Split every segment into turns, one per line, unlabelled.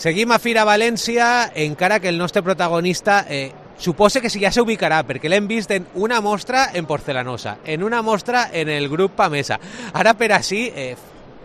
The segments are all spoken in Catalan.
Seguim a Fira València, encara que el nostre protagonista suposa que ja s'ubicarà, perquè l'hem vist en una mostra en porcelanosa, en una mostra en el grup Pamesa. Ara per així,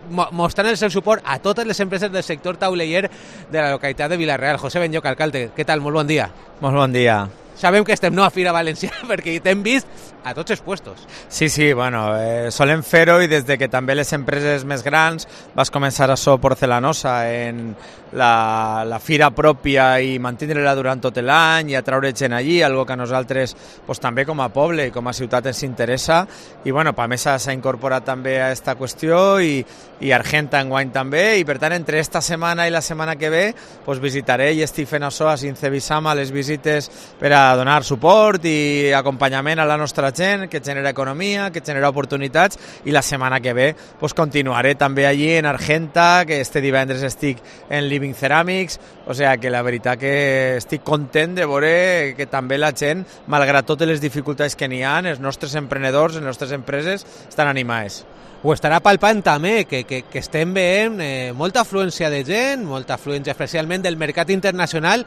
mostrant el seu suport a totes les empreses del sector tauleller de la localitat de Vila-real. José Benlloc, alcalde, què tal? Molt bon dia.
Molt bon dia.
Sabem que estem a Fira València perquè t'hem vist a tots els puestos.
Sí, bueno, solem fer-ho i des de que també les empreses més grans vas començar a ser porcelanosa en la fira pròpia i mantindre-la durant tot l'any i atraure gent allí, algo que a nosaltres pues, també com a poble i com a ciutat ens interessa, i bueno, Pamesa s'ha incorporat també a aquesta qüestió i Argenta enguany també, i per tant entre esta setmana i la setmana que ve pues, visitaré i estic fent això a Sincevisama, les visites per a donar suport i acompanyament a la nostra gent, que genera economia, que genera oportunitats, i la setmana que ve pues, continuaré també allí en Argenta, que este divendres estic en Living Ceramics, o sigui que la veritat que estic content de veure que també la gent, malgrat totes les dificultats que n'hi ha, els nostres emprenedors, les nostres empreses estan animades.
Ho estarà palpant també, que estem veient molta afluència de gent, molta afluència especialment del mercat internacional,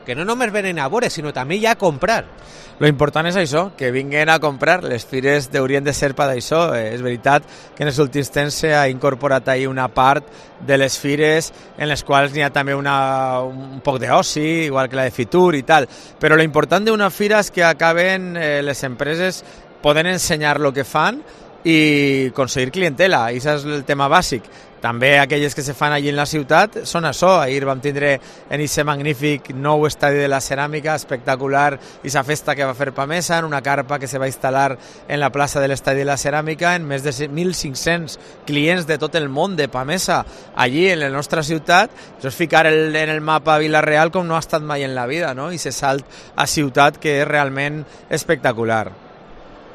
que no només venen a veure, sinó també ja a comprar.
Lo important és això, que vinguen a comprar. Les fires haurien de ser per això. És veritat que en els últims temps s'ha incorporat ahí una part de les fires en les quals n'hi ha també un poc d'oci, igual que la de Fitur i tal. Però lo important d'una fira és que acaben les empreses poden ensenyar el que fan i aconseguir clientela, i això és el tema bàsic. També aquelles que se fan allí en la ciutat són això. Ahir vam tindre en aquest magnífic nou estadi de la ceràmica espectacular i la festa que va fer Pamesa en una carpa que se va instal·lar en la plaça de l'estadi de la ceràmica en més de 1.500 clients de tot el món de Pamesa allí en la nostra ciutat. Això és ficar en el mapa Vila-real com no ha estat mai en la vida, no? I se salt a ciutat que és realment espectacular.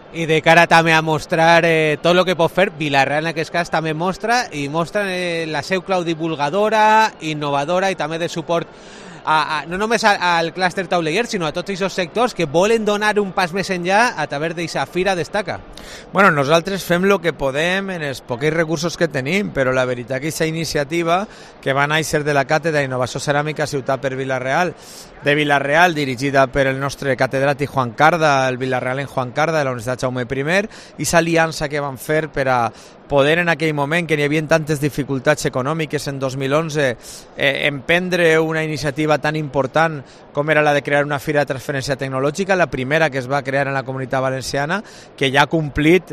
I de cara també a mostrar tot el que pot fer, Vila-real en aquest cas també mostra la seu clau divulgadora, innovadora i també de suport no només al clúster tauleller, sinó a tots aquests sectors que volen donar un pas més enllà a través d'aquesta Fira Destaca.
Bueno, nosaltres fem el que podem en els pocs recursos que tenim, però la veritat que aquesta iniciativa que va néixer de la Càtedra d'Innovació Ceràmica Ciutat per Vila-real, de Vila-real, dirigida per el nostre catedràtic Juan Carda, el Vila-real en Juan Carda de la Universitat Jaume I, i l'aliança que van fer per a poder en aquell moment que n'hi havia tantes dificultats econòmiques en 2011 emprendre una iniciativa tan important com era la de crear una fira de transferència tecnològica, la primera que es va crear en la Comunitat Valenciana, que ja ha complit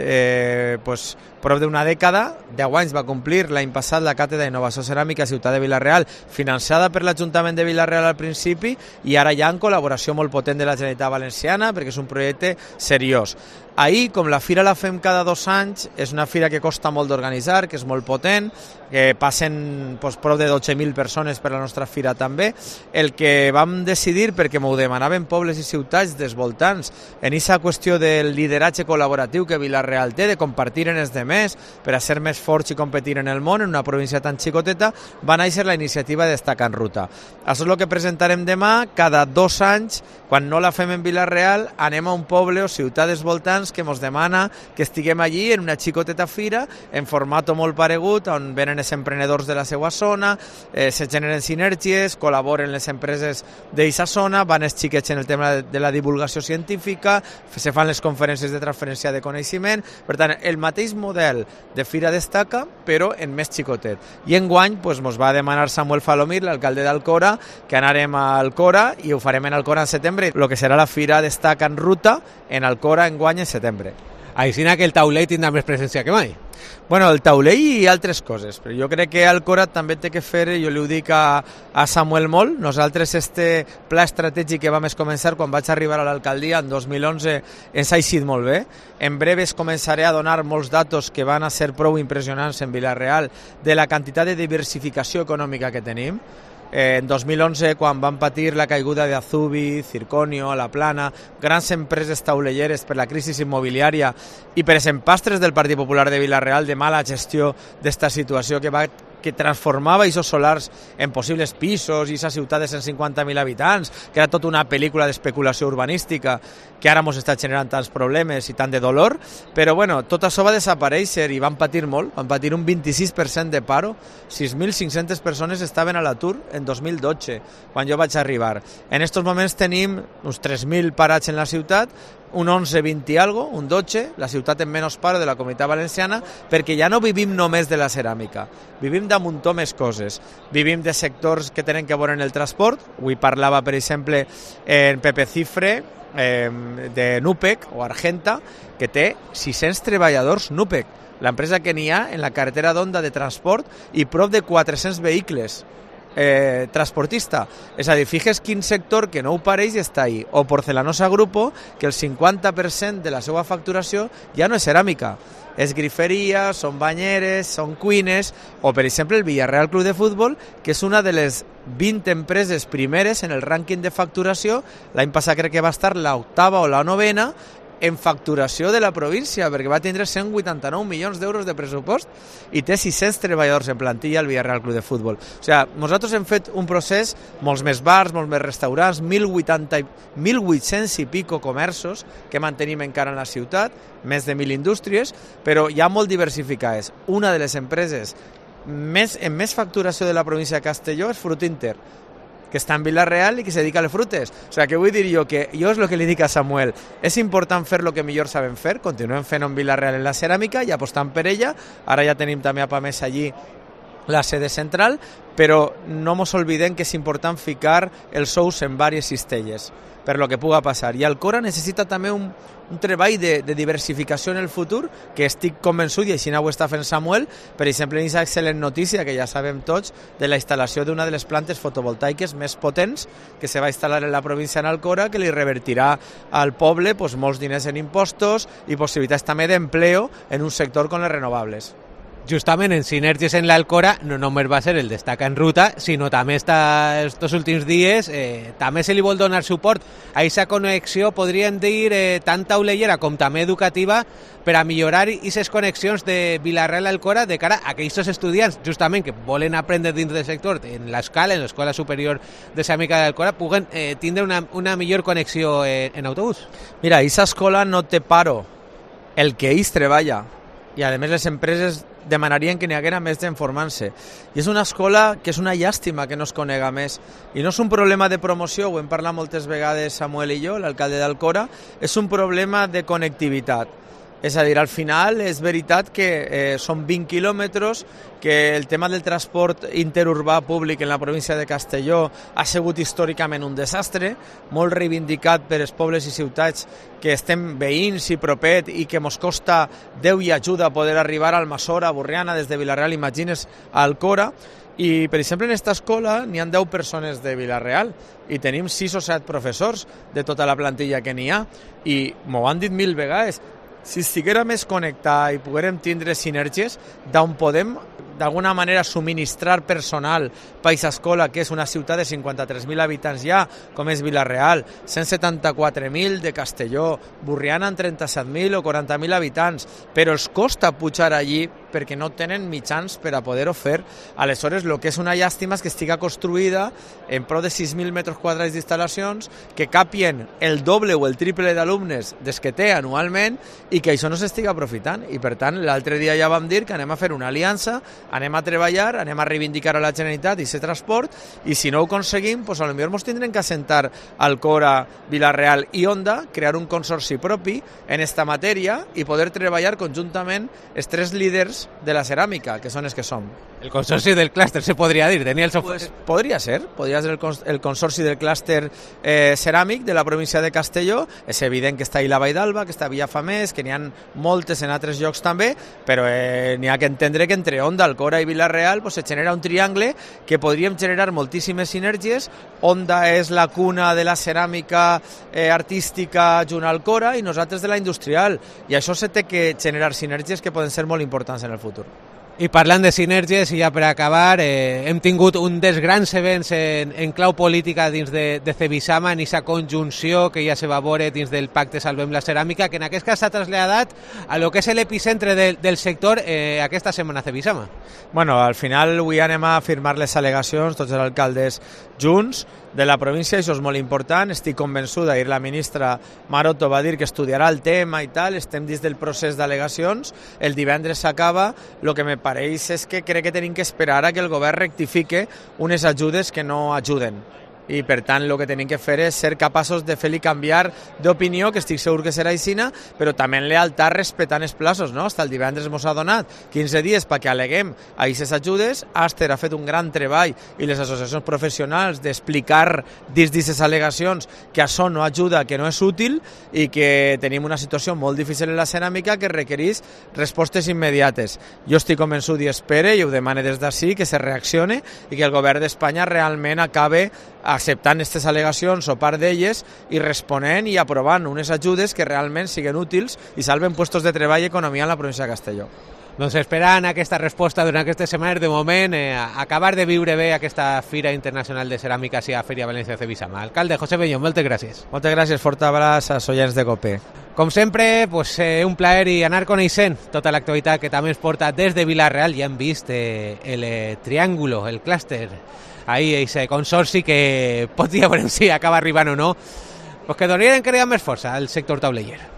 prop d'una dècada, 10 anys va complir l'any passat la Càtedra d'Innovació Ceràmica Ciutat de Vila-real, financiada per l'Ajuntament de Vila-real al principi i ara ja en col·laboració molt potent de la Generalitat Valenciana perquè és un projecte seriós. Ahir, com la fira la fem cada 2 anys, és una fira que costa molt d'organitzar, que és molt potent, que passen prop de 12.000 persones per la nostra fira també. El que vam decidir, perquè m'ho demanaven pobles i ciutats dels voltants, en aquesta qüestió del lideratge col·laboratiu que Vila-real té, de compartir en els demés per a ser més forts i competir en el món, en una província tan xicoteta, va néixer la iniciativa Destaca en Ruta. Això és el que presentarem demà. Cada 2 anys, quan no la fem en Vila-real, anem a un poble o ciutat dels voltants que ens demana que estiguem allí en una xicoteta fira en format molt paregut, on venen els emprenedors de la seva zona, se generen sinergies, col·laboren les empreses d'aquesta zona, van els xiquets en el tema de la divulgació científica, se fan les conferències de transferència de coneixement. Per tant, el mateix model de Fira Destaca, però en més xicotet. I enguany ens va demanar Samuel Falomir, l'alcalde d'Alcora, que anarem a Alcora i ho farem en Alcora en setembre, el que serà la Fira Destaca en Ruta en Alcora enguany en setembre.
Així que el taulell tindrà més presència que mai.
Bueno, el taulell i altres coses, però jo crec que Alcora també té que fer, jo li ho dic a Samuel molt, nosaltres este pla estratègic que vam començar quan vaig arribar a l'alcaldia en 2011 ens ha eixit molt bé. En breves començaré a donar molts datos que van a ser prou impressionants en Vila-real de la quantitat de diversificació econòmica que tenim. En 2011, quan van patir la caiguda d'Azubi, Circonio, La Plana, grans empreses taulelleres per la crisi immobiliària i per els empastres del Partit Popular de Vila-real de mala gestió d'esta situació que que transformava aquests solars en possibles pisos i aquesta ciutat de 150.000 habitants, que era tota una pel·lícula d'especulació urbanística que ara ens està generant tants problemes i tant de dolor, però bueno, tot això va desaparèixer i van patir molt, van patir un 26% de paro, 6.500 persones estaven a l'atur en 2012, quan jo vaig arribar. En aquests moments tenim uns 3.000 parats en la ciutat, un 11, 20 i algo, un 12, la ciutat amb menys paro de la Comunitat Valenciana, perquè ja no vivim només de la ceràmica, vivim de muntó més coses. Vivim de sectors que tenen que veure en el transport, avui parlava, per exemple, en Pepe Cifre, de Nupec o Argenta, que té 600 treballadors Nupec, l'empresa que n'hi ha en la carretera d'Onda de transport i prop de 400 vehicles. Transportista, és a dir, fixes quin sector que no ho pareix i està ahí, o Porcelanosa Grupo, que el 50% de la seva facturació ja no és ceràmica, és griferia, són banyeres, són cuines, o per exemple el Villarreal Club de Futbol, que és una de les 20 empreses primeres en el rànquing de facturació. L'any passat crec que va estar l'octava o la novena en facturació de la província, perquè va tindre 189 milions d'euros de pressupost i té 600 treballadors en plantilla al Villarreal Club de Futbol. O sigui, nosaltres hem fet un procés, molts més bars, molts més restaurants, 1.800 i pico comerços que mantenim encara en la ciutat, més de 1.000 indústries, però ja molt diversificades. Una de les empreses amb més facturació de la província de Castelló és Frutinter, que està en Vila-real i que se dedica a les frutes. O sigui, que vull dir jo que jo és el que li dic a Samuel, és important fer el que millor sabem fer, continuem fent en Vila-real en la ceràmica i apostant per ella, ara ja tenim també a Pamesa allí la sede central, però no ens oblidem que és important ficar els sous en diverses cistelles per lo que puga passar. I Alcora necessita també un treball de diversificació en el futur, que estic convençut, i així ho està fent Samuel, per exemple, en aquesta excel·lent notícia que ja sabem tots, de la instal·lació d'una de les plantes fotovoltaiques més potents que se va instal·lar en la província en Alcora, que li revertirà al poble molts diners en impostos i possibilitats també d'empleo en un sector com les renovables.
Justament en sinergies en l'Alcora no només va ser el destaca en ruta, sinó també estos últims dies també se li vol donar suport a aquesta connexió, podríem dir, tant taulellera com també educativa, per a millorar aquestes connexions de Vila-real a Alcora de cara a aquests estudiants, justament, que volen aprendre dins del sector, en l'escala, en l'Escola Superior de Ceràmica d'Alcora, puguen tindre una millor connexió en autobús.
Mira, aquesta escola no té paro, el que ells treballa, i a més les empreses demanarien que n'hi haguera més gent formant-se. I és una escola que és una llàstima que no es conega més. I no és un problema de promoció, ho hem parlat moltes vegades Samuel i jo, l'alcalde d'Alcora, és un problema de connectivitat. És a dir, al final és veritat que són 20 quilòmetres, que el tema del transport interurbà públic en la província de Castelló ha sigut històricament un desastre, molt reivindicat per els pobles i ciutats que estem veïns i propet i que mos costa Déu i ajuda a poder arribar a Almassora, a Borriana, des de Vila-real, imagines, a Alcora. I, per exemple, en aquesta escola n'hi ha 10 persones de Vila-real i tenim 6 o 7 professors de tota la plantilla que n'hi ha. I m'ho han dit 1000 vegades, si estiguera més connectat i poguérem tindre sinergies d'on podem d'alguna manera subministrar personal per aquesta escola, que és una ciutat de 53.000 habitants ja, com és Vila-real, 174.000 de Castelló, Borriana en 37.000 o 40.000 habitants, però els costa pujar allí perquè no tenen mitjans per a poder-ho fer. Aleshores, el que és una llàstima és que estiga construïda en prop de 6.000 metres quadrats d'instal·lacions, que capien el doble o el triple d'alumnes des que té anualment i que això no s'estiga aprofitant. I per tant, l'altre dia ja vam dir que anem a fer una aliança, anem a treballar, anem a reivindicar a la Generalitat i ser transport, i si no ho aconseguim, doncs potser ens tindrem que assentar Alcora, Vila-real i Onda, crear un consorci propi en esta matèria i poder treballar conjuntament els 3 líders de la ceràmica, que són els que som.
El consorci del clúster, se podria dir, Daniel.
Pues podria ser el consorci del clúster ceràmic de la província de Castelló. És evident que està ahí la Vall d'Alba, que està a Villafamés, que n'hi ha moltes en altres llocs també, però n'hi ha que entendre que entre Onda, Alcora i Vila-real pues, se genera un triangle que podríem generar moltíssimes sinergies. Onda és la cuna de la ceràmica artística junt a Alcora i nosaltres de la industrial. I això se té que generar sinergies que poden ser molt importants en el futur.
I parlant de sinergies, i ja per acabar, hem tingut un dels grans events en clau política dins de Cebisama, en aquesta conjunció que ja se va veure dins del pacte Salvem la Ceràmica, que en aquest cas s'ha traslladat a lo que és l'epicentre del sector aquesta setmana a Cebisama.
Bueno, al final avui anem a firmar les al·legacions, tots els alcaldes junts de la província, això és molt important, estic convençuda, ahir la ministra Maroto va dir que estudiarà el tema i tal, estem dins del procés d'al·legacions, el divendres s'acaba, el que me pareix és que crec que tenim que esperar a que el govern rectifique unes ajudes que no ajuden. I per tant el que tenim que fer és ser capaços de fer-li canviar d'opinió, que estic segur que serà aixina, però també en lealtat respectant els plaços, no? Hasta el divendres ens ha donat 15 dies perquè aleguem a aquestes ajudes. Aster ha fet un gran treball i les associacions professionals d'explicar dins d'aquestes al·legacions que això no ajuda, que no és útil i que tenim una situació molt difícil en la ceràmica que requereix respostes immediates. Jo estic convençut i espere, i ho demane des d'ací, que se reaccione i que el govern d'Espanya realment acabe acceptant aquestes al·legacions o part d'elles i responent i aprovant unes ajudes que realment siguin útils i salven puestos de treball i economia en la província de Castelló.
Doncs esperant aquesta resposta durant aquestes setmanes, de moment, acabar de viure bé aquesta Fira Internacional de Ceràmica a Fèria València Cebisama. Alcalde José Bellón, moltes gràcies.
Moltes gràcies, fort abraç als oients de COPE.
Com sempre, pues, un plaer i anar coneixent tota l'actualitat que també ens porta des de Vila-real. Ja hem vist el triàngulo, el clúster, ahí ese consorci que pot dir a veure si acaba arribant o no, pues que donaria encara més força al sector tauleller.